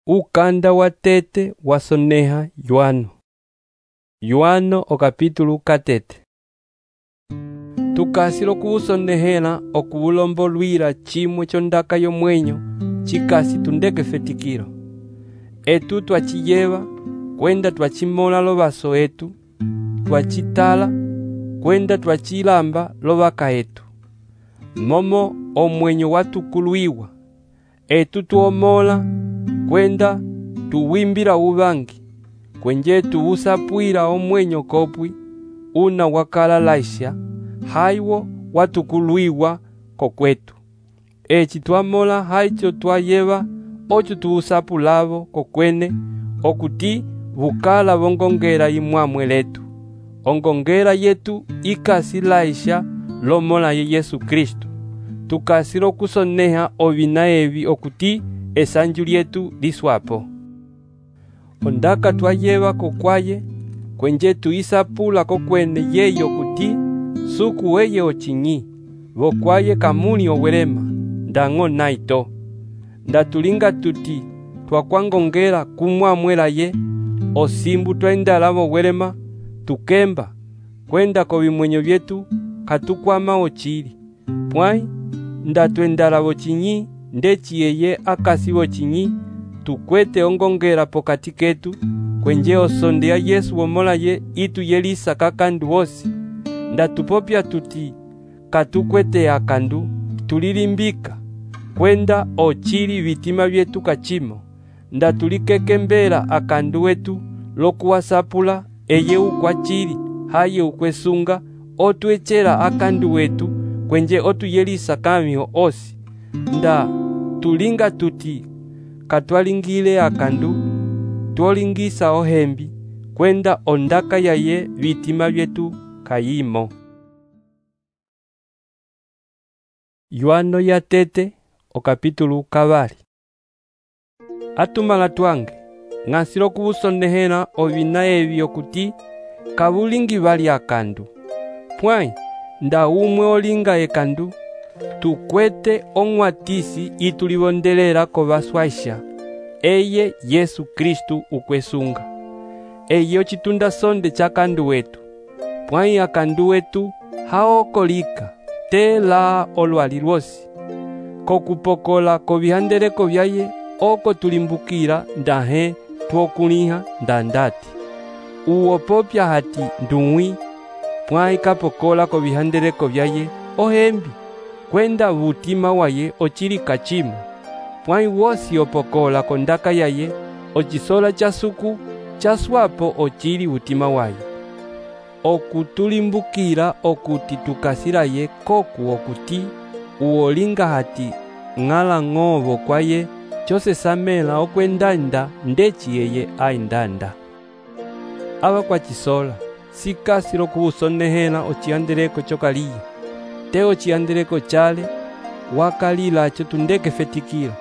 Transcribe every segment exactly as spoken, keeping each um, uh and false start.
Ukanda wa tete wasoneha Yohano. Yohano o capítulo katete. Tukasilo kuwusonehela okuwulombolwila chimwe chondaka yomwenyo chikasi tundeke fetikilo. Etu twachiyeva kwenda twachimola lovaso etu, twachitala kwenda twachilamba lovaka etu. Momo omwenyo watukuluiwa, etu tuomola kwenda tuwimbila uvangi, kwenje tuwusapwila omwenyo kopwi una wakala laisha, haiwo watukuluiwa kokwetu. Echi twamola haicho twayeva ocho tuwusapulavo kokwene okuti vukala vongongela imwamwe letu. Ongongela yetu ikasi laisha lomola ye Yesu Kristo. Tukasilo kusoneha ovina evi okuti esanju lyetu liswapo. Ondaka twayeva kokwaye kwenje tuisapula kokwene yeyo kuti suku weye ochinyi vokwaye kamuli owelema ndango naito. Ndatulinga tuti twakwangongela kumwamwela ye osimbu twendala welema tukemba kwenda kovimwenyo vyetu katukwama ochili. Pwai ndatwendala vochinyi ndechi yeye akasi vochinyi tukwete ongongela pokati ketu kwenje osondea Yesu womola ye itu yelisa kakandu wosi. Ndatupopya tuti katukwete akandu tulilimbika kwenda ochili vitima vyetu kachimo. Ndatulikekembela akandu wetu lokuwasapula eye ukwachili haye ukwesunga otwechela akandu wetu kwenje otuyelisa kamiho osi. Nda tulinga tuti katwalingile akandu twolingisa ohembi kwenda ondaka yaye vitima vyetu kayimo. Yohano ya tete o capítulo kavali. Atumala twange ng'asilo kuwusonehela ovina evi okuti kabulingi bali akandu. Pwai nda umwe olinga ekandu tukwete ong'watisi itulivondelela kovaswaisha eye Yesu Kristu ukwesunga. Eye ochitunda sonde chakandu wetu. Pwai akandu wetu haokolika tela olwali lwosi. Kokupokola kovihandeleko vyaye oko tulimbukila ndahe twokuliha ndandati. Uwopopya hati ndung'wi pwai kapokola kovihandeleko vyaye ohembi kwenda vutima waye ochili kachimo. Pwai wosi opokola kondaka yaye ochisola chasuku chaswapo ochili vutima waye. Okutulimbukila okuti tukasilaye koku okuti uolinga hati ng'ala ng'ovo kwaye chose samela okwendanda ndechi yeye aindanda. Ava kwa chisola sikasilo kuwusonehela ochihandeleko chokaliye. Te ochihandeleko chale wakalila acho tundeke fetikilo.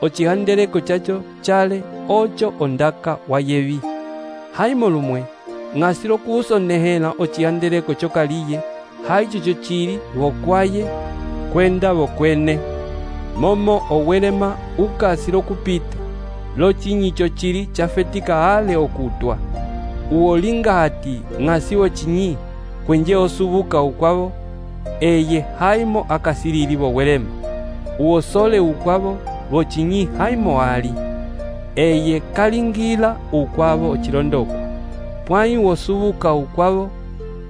Ochihandeleko chacho chale ocho ondaka wayevi. Haimo lumwe ng'asilo kuwusonehela ochihandeleko chokaliye haicho chochili vokwaye kwenda vokwene. Momo owelema ukasilo kupita lochinyi chochili chafetika ale okutwa. Uolinga hati ng'asiwo chinyi kwenje osubuka ukwavo eye haimo akasilili vowelema. Uosole ukwavo vochinyi haimo ali eye kalingila ukwavo ochilondokwa. Pwai wosubuka ukwavo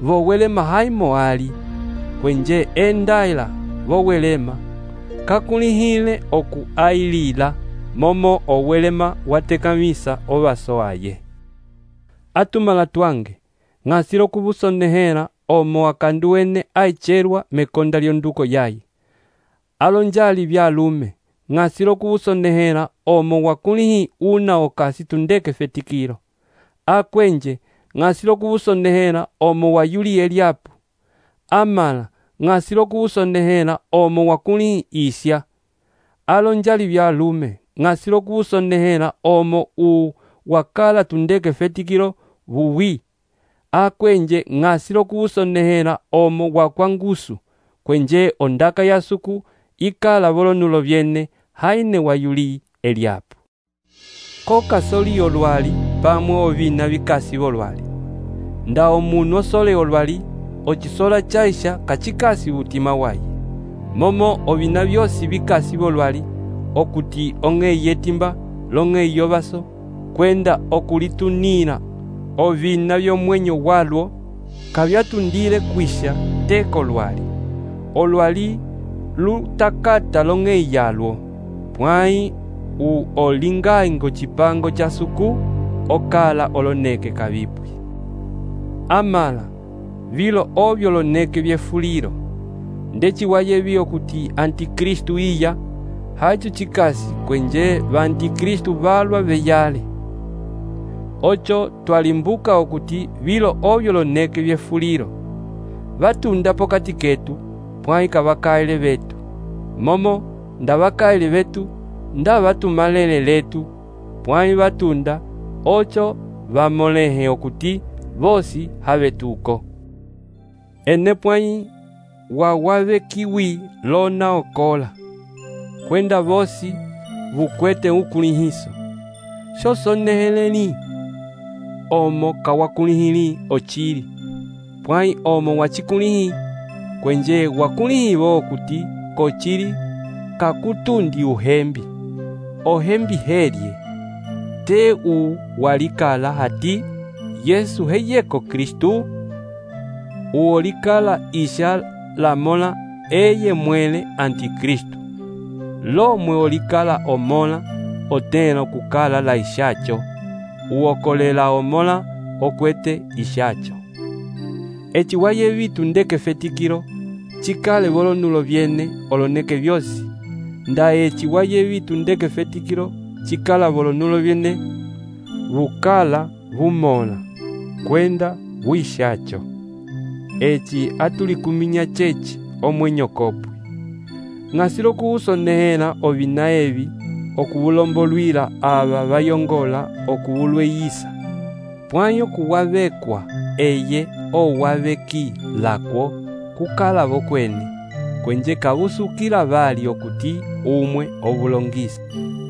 vowelema haimo ali kwenje endaila vowelema kakulihile oku ailila momo owelema watekamisa ovaso aye. Atumala twange ng'asilo kuwusonehela omo akandu wene aicherwa mekonda lyonduko yaye. Alonjali vyalume ng'asilo kuwusonehela omo wakulihi una okasi tundeke fetikilo. Akwenje ng'asilo kuwusonehela omo wayuli Eliapu. Amala ng'asilo kuwusonehela omo wakulihi isya. Alonjali vyalume ng'asilo kuwusonehela omo u wakala tundeke fetikilo vuwi. Akwenje ng'asilo kuwusonehela omo wakwangusu kwenje ondaka yasuku ikala volonulo vyene haine wayuli Eliapu. ko kasoli olwali pamwe ovina vikasi volwali. Nda omunu osole olwali, ocisola chaisha kachikasi utima waye. Momo ovina vyosi vikasi volwali, okuti ong'ei yetimba, long'ei yovaso, kwenda okulitunira ovina vyomwenyo walwo, kavyatundile kwisha teko lwali. Olwali lutakata long'ei yalwo, pwai u olingaingo chipango cha suku, okala oloneke kavipwi. Amala, vilo ovyo loneke vyefuliro, ndeci wayevi okuti Antikristu iya, hacho chikasi kwenje va Antikristu valwa veyale. Ocho twalimbuka okuti vilo ovyo loneke vyefuliro, vatunda pokati ketu, pwai kavakaile vetu. Momo nda vakaile vetu, nda vatumalele letu, pwai vatunda, ocho vamolehe okuti vosi havetuko. Ene pwai wawave kiwi lona okola, kwenda vosi vukwete ukulihiso. Shosoneheleni, omo kawakulihili ochili, pwai omo wachikulihi, kwenje wakulihi vo okuti kochili kakutundi uhembi. Ohembi helye, te u walikala hati Yesu heyeko Kristu, uolikala isha lamola eye mwele Antikristu. Lomwe olikala omola, otena kukala la ishacho, uokolela omola okwete ishacho. Echi waye vitu ndeke fetikiro, chikale volonulo vyene oloneke vyosi. Nda echi waye vitu ndeke fetikiro, chikala volonulo vyene, vukala vumola, kwenda vuishacho. Echi atulikuminya chechi omwenyo kopwe. Ngasilo kuusonehela ovina evi, okuvulombolwila ava vayongola okuvulweyisa. Pwanyo kuwavekwa eye owaveki lakwo kukala vokwene, kwenje kavusukila vali okuti umwe ovulongisa.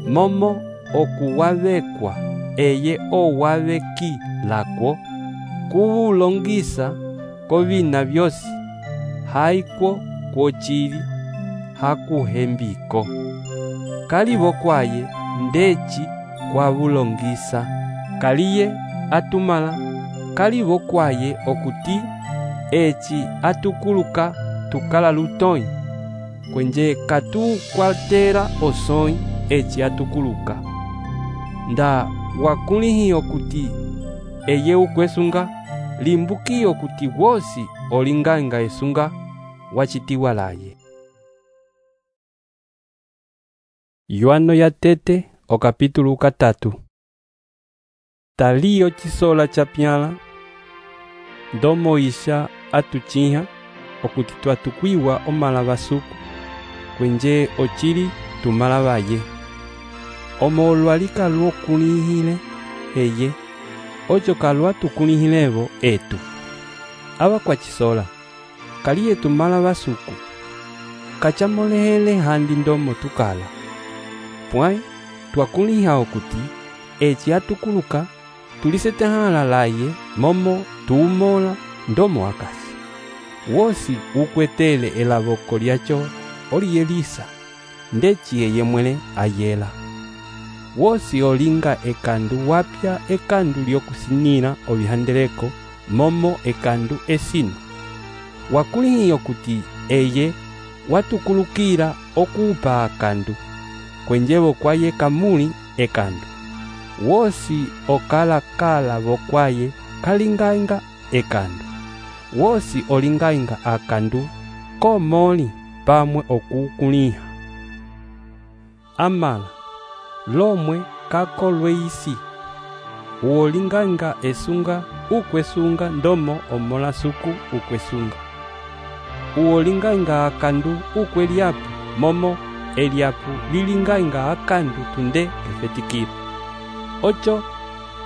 Momo okuwavekwa eye owaveki lakwo kuvulongisa kovina vyosi, haikwo kwochili hakuhembiko. Kalivo kwaye ndeci kwa vulongisa, kaliye atumala, kalivo kwaye okuti echi atukuluka tukala lutoi, kwenje katu kwatera osoi echi atukuluka. Nda wakulihi okuti eye ukwesunga, limbuki okuti wosi olinganga esunga wachitiwa laye. Yohano ya tete o capítulo katatu. Talio chisola chapyala, ndomo isha atuchiha okuti twatukwiwa omala basuku, kwenje ochili tumala baye. Omo olwalika luo kulihile eye, ocho kalwa tukulihilevo etu. Aba kwa chisola, kaliye tumala basuku, kachamolehele handi ndomo tukala. Pwai, twakuliha okuti, echi atukuluka, tulisetehala laye, momo, tuumola, ndomo akasi. Wosi ukwetele elavoko liacho, oli elisa, ndeci eye mwele ayela. Wosi olinga ekandu wapya ekandu lyokusinira obihandeleko, momo ekandu esino. Wakulihi okuti eye watukulukira okupa akandu, kwenjevo kwaye kamuli ekandu. Wosi okala kala vokwaye kalingainga ekandu. Wosi olingainga akandu komoli pamwe okukuliha. Amala, lomwe kakolwe isi. Uolingainga esunga ukwesunga ndomo omola suku ukwesunga. Uolingainga akandu ukweliapu, momo eliapu lilingainga akandu tunde efetikira. Ocho,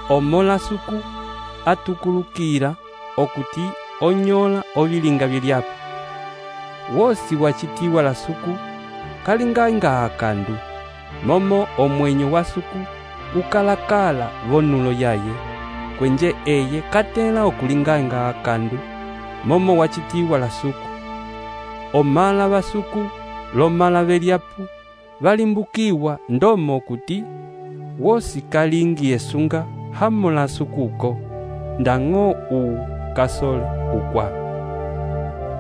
omola suku atukulukira okuti onyola ovilinga viliapu. Wosi wachitiwa la suku kalingainga akandu, momo omwenyo wa suku ukalakala vonulo yaye, kwenje eye katela okulinganga akandu, momo wachitiwa la suku. Omala basuku, lomala beliapu, valimbukiwa ndomo okuti, wosi kalingi esunga hamula sukuko, ndango u kasole ukwa.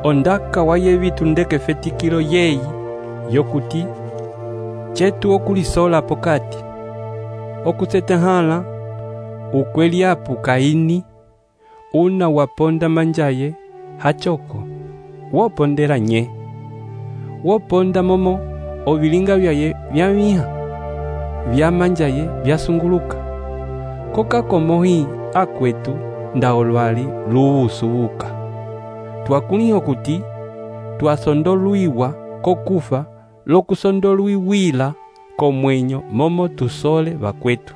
Ondaka waye vitu ndeke fetikilo yeyi, yokuti, chetu okulisola pokati, okusetehala, ukweliapu Kaini, una waponda manjaye, hachoko, wopondela nye, woponda momo, ovilinga vyaye vyamiha, vyamanjaye vyasunguluka, koka komohi akwetu nda olwali luusuuka. Twakuliho kuti, twasondoluiwa kokufa, lokusondoluiwila komwenyo momo tusole vakwetu.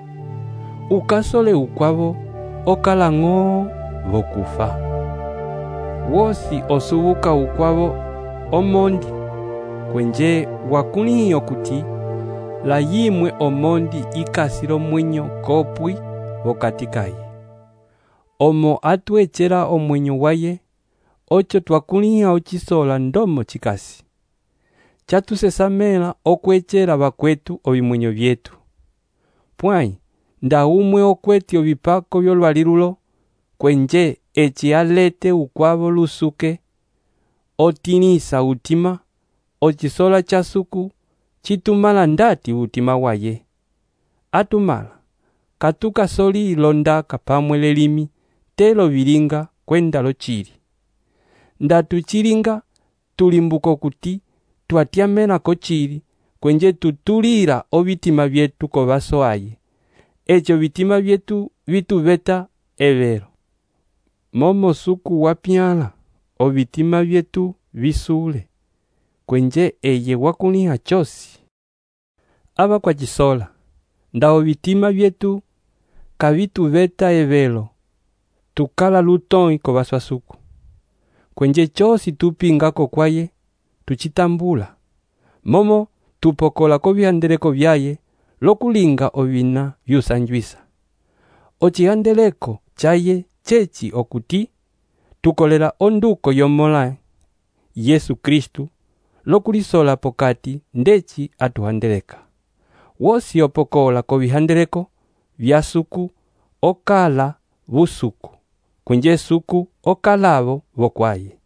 Ukasole ukwavo, okalango vokufa. Wosi osubuka ukwavo, omondi, kwenje wakuliho kuti, la yimwe omondi ikasilo mwenyo kopwi vokatikaye. Omo atuechera omwenyo waye, ocho twakuliha ochisola ndomo chikasi. Chatusesamela okwechera vakwetu ovimwenyo vyetu. Pwai, nda umwe okweti ovipako vyolwalilulo, kwenje echi alete ukwavo lusuke, otinisa utima, ochisola chasuku, chitumala ndati utima waye. Atumala, katuka soli ilonda kapamwele limi, telo vilinga kwenda lo chiri. Ndatu chiringa, tulimbuko kuti, tuatiamena kochiri, kwenje tutulira ovitima vyetu kovaso aye. Echo vitima vyetu vitu veta evero. Momo suku wapiala, ovitima vyetu visule, kwenje eye wakuliha chosi. Aba kwa chisola, nda ovitima vyetu kavitu veta evero, tukala lutoi kovaso suku. Kwenje chosi tupingako kwaye, tuchitambula. Momo tupokola kovihandeleko vyaye, lokulinga ovina vyusanjwisa. Ochihandeleko chaye chechi okuti, tukolela onduko yomola Yesu Kristu, lokulisola pokati ndechi atuhandeleka. Wosi opokola kovihandeleko, vyasuku, okala, vusuku. Kwenje suku, okalavo, vokwaye.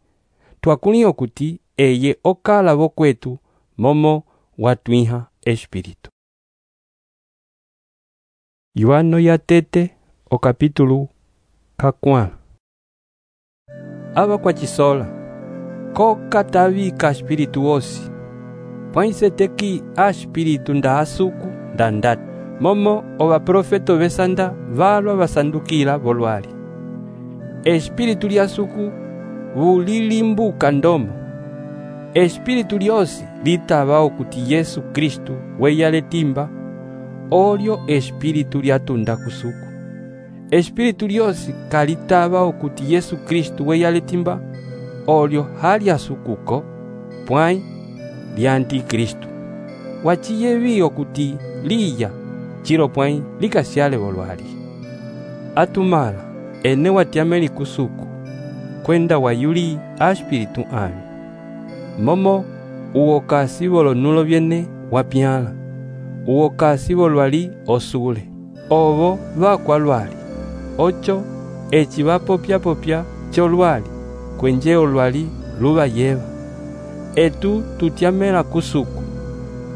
Twakuliho kuti, eye okala vokwetu, momo watuiha espiritu. Yohano ya tete, o capítulo kakwala. Aba kwa chisola, koka tavika espiritu osi, pwaise teki a espiritu nda asuku nda ndati, momo ova profeto vesanda valwa vasandukila volwali. Espiritu liasuku vulilimbuka ndomo. Espiritu liosi litava okuti Yesu Kristu weyale timba, olio espiritu liatunda kusuku. Espiritu liosi kalitava okuti Yesu Kristu weyale timba, olio hali asukuko, pwai li antikristu. Wachiyevi okuti liya, chiro pwai likasyale volwali. Atumala, ene watiameli kusuku, kwenda wayuli a espiritu ami. Momo uokasi volonulo vyene wapiala, uokasi volwali osule, ovo vakwa lwali, ocho echi vapopya popya cholwali, kwenje olwali luva yeva. Etu tutiamela kusuku,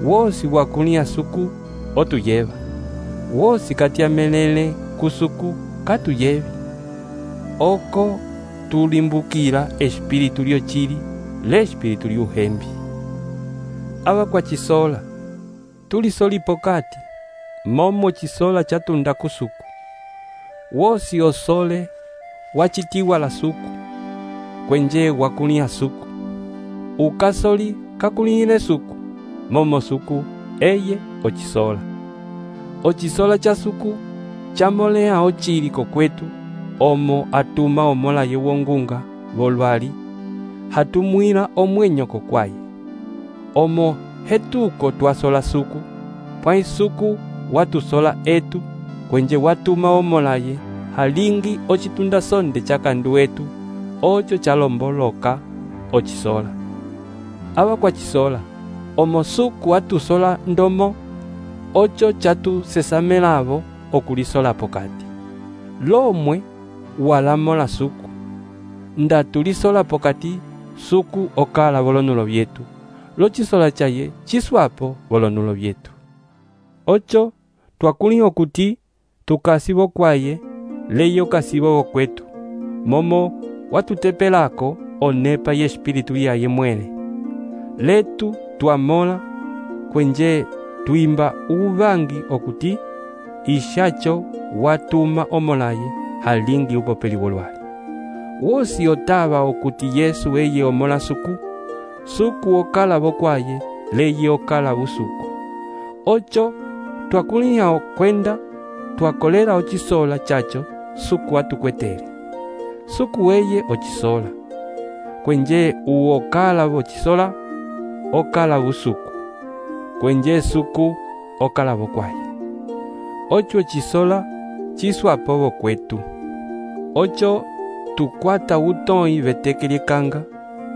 wosi wakulia suku otuyeva, wosi katiamelele kusuku katuyevi. Oko tulimbukila espiritu lio chili, le espiritu liuhembi. Aba kwa chisola, tulisoli pokati, momo chisola chatunda kusuku. Wosi osole, wachitiwa la suku, kwenje wakulia suku. Ukasoli kakulile suku, momo suku, eye ochisola. Ochisola cha suku, chamolea ochili kokwetu, omo atuma omola yewongunga, volwali, hatumwila omwenyo kokwaye. Omo hetuko twasola suku, pwai suku watusola etu kwenje watuma omolaye halingi ocitunda sonde cakandu wetu oco calomboloka ocisola. Ava kwa cisola omosuku watusola ndomo oco catusesamelavo okulisola pokati. Lomwe walamola suku nda tulisola pokati suku okala volonulo vyetu locisola caye ciswapo volonulo vyetu. Oco twakuliha okuti tukasivo kwaye leyo kasivo vokwetu momo watutepelako onepa ye espiritu yaye mwele letu twamola kwenje twimba uvangi okuti ishacho watuma omolaye halingi upopeli wolwali. Wosi otava okuti Yesu eye omola suku suku okala vokwaye leye okala usuku. Oco twakuliha okwenda twakolera ocisola chacho suku atukwetele suku weye ocisola kwenje uokala vocisola okala usuku kwenje suku okala vokwaye. Ocho cisola ciswapo vokwetu. Oco tukwata utoi vetekelekanga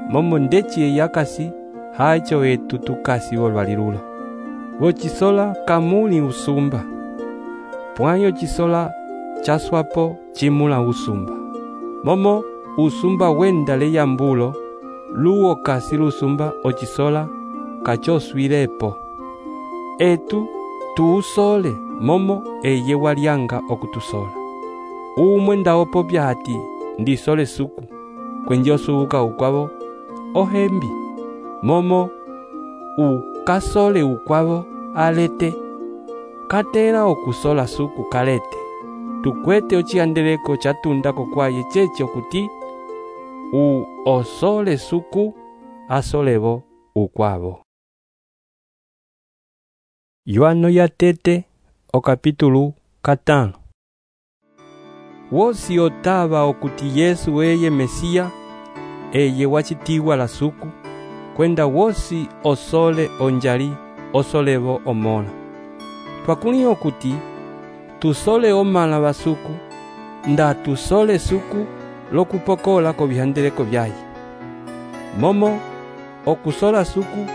momo ndeci yakasi hacho etu tukasi volwali lulo. Vocisola kamuli usumba pwayo cisola caswapo cimula usumba momo usumba wenda leyambulo luo kasi lusumba ocisola kacoswilepo etu tuusole momo eye walyanga okutusola. Umwe ndaopopya hati ndisole suku kwenje osubuka ukwavo ohembi momo ukasole ukwavo alete katera okusola suku kalete tukwete ociyandeleko catundako kwaye cece okuti u osole suku asolevo ukwavo. Yohano yatete okapitulu katano. Wosi otava okuti Yesu eye Mesia eye wacitiwa la suku kwenda wosi osole onjali osolevo omola. Twakuliha okuti tusole omala basuku nda tusole suku lokupokola ko bihandeleko byaye momo okusola suku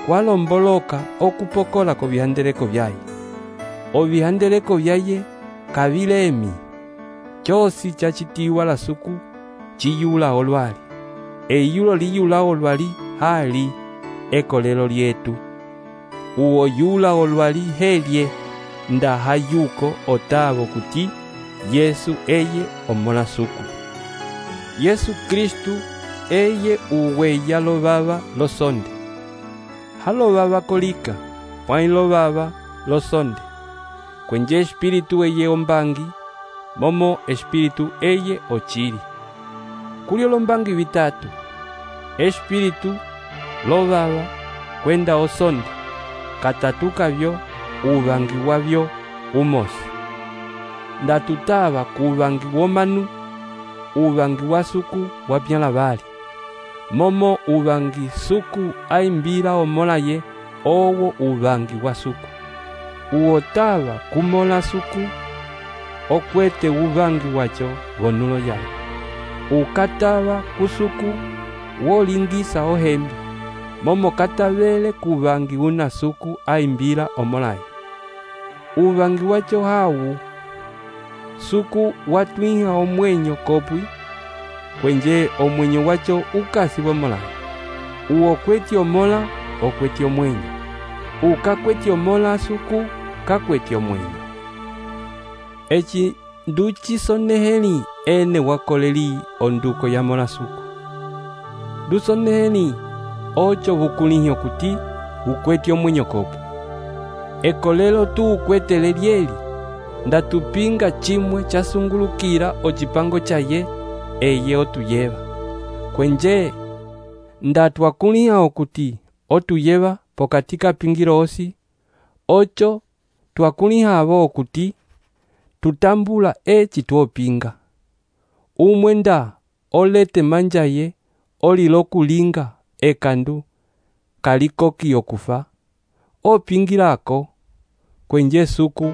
kwalomboloka okupokola ko bihandeleko byaye obihandeleko byaye kabilemi cyosi cacitiwa la suku ciyula olwali eyulo liyula olwali hali ekolelo lyetu uo yula olwali helye nda hayuko otavo kuti Yesu eye omola suku. Yesu Kristu eye uweya lo baba lo sonde halo baba kolika pwai lo baba lo sonde kwenje espiritu eye ombangi momo espiritu eye ochiri kulio lombangi vitatu espiritu lo baba kwenda osonde katatuka vyo ubangi wavyo umosi ndatutava kubangi womanu ubangi wa suku wapyala bali momo ubangi suku aimbira omolaye owo ubangi wa suku uotava kumola suku okwete ubangi wacho gonulo yayo ukatava kusuku wolingisa ohembi momo katavele kubangi una suku aimbira omolaye ubangi wacho hawu suku watwiha omwenyo kopwi kwenje omwenyo wacho ukasi bomolaye uo kweti omola okweti omwenyo ukakweti omola suku kakweti omwenyo echi nduchi soneheli ene wakoleri onduko ya mola suku dusoneheli ocho bukulihyo kuti ukweti omwenyo kopo ekolelo tu ukwete lelieli ndatupinga chimwe chasungulukira ochipango chaye eye otuyeva kwenje ndatwakuliha okuti otuyeva pokatika pingiro osi ocho twakuliha abo okuti tutambula echi tuopinga umwe nda olete manjaye olilokulinga ekandu kalikoki okufa opingirako kwenje suku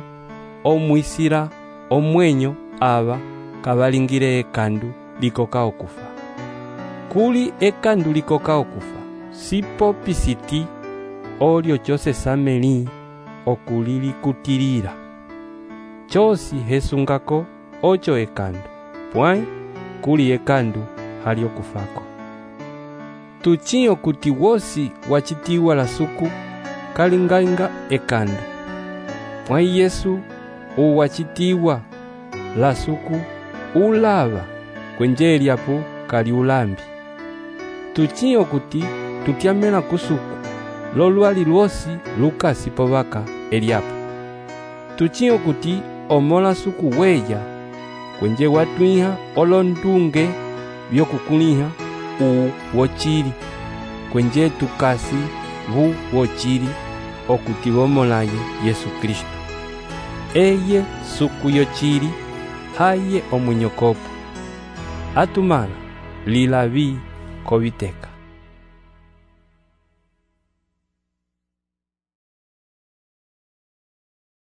omwisira omwenyo ava kavalingire ekandu likoka okufa. Kuli ekandu likoka okufa, sipo pisiti olyo chose sameli okulilikutilila. Chosi hesungako ocho ekandu, pwai kuli ekandu hali okufako. Tuchi okuti wosi wachitiwa la suku kalingainga ekandu. Pwai Yesu uwachitiwa la suku ulava kwenje eliapo kali ulambi. Tuchi okuti tutyamela kusuku lolwali lwosi lukasi povaka eliapo. Tuchi okuti omola suku weya kwenje watwiha olondunge byokukuliha u wochili kwenje tukasi vu wochili okuti bomolaye Yesu Kristo. Eye suku yochili haye omwenyokopo atumana lilavi koviteka.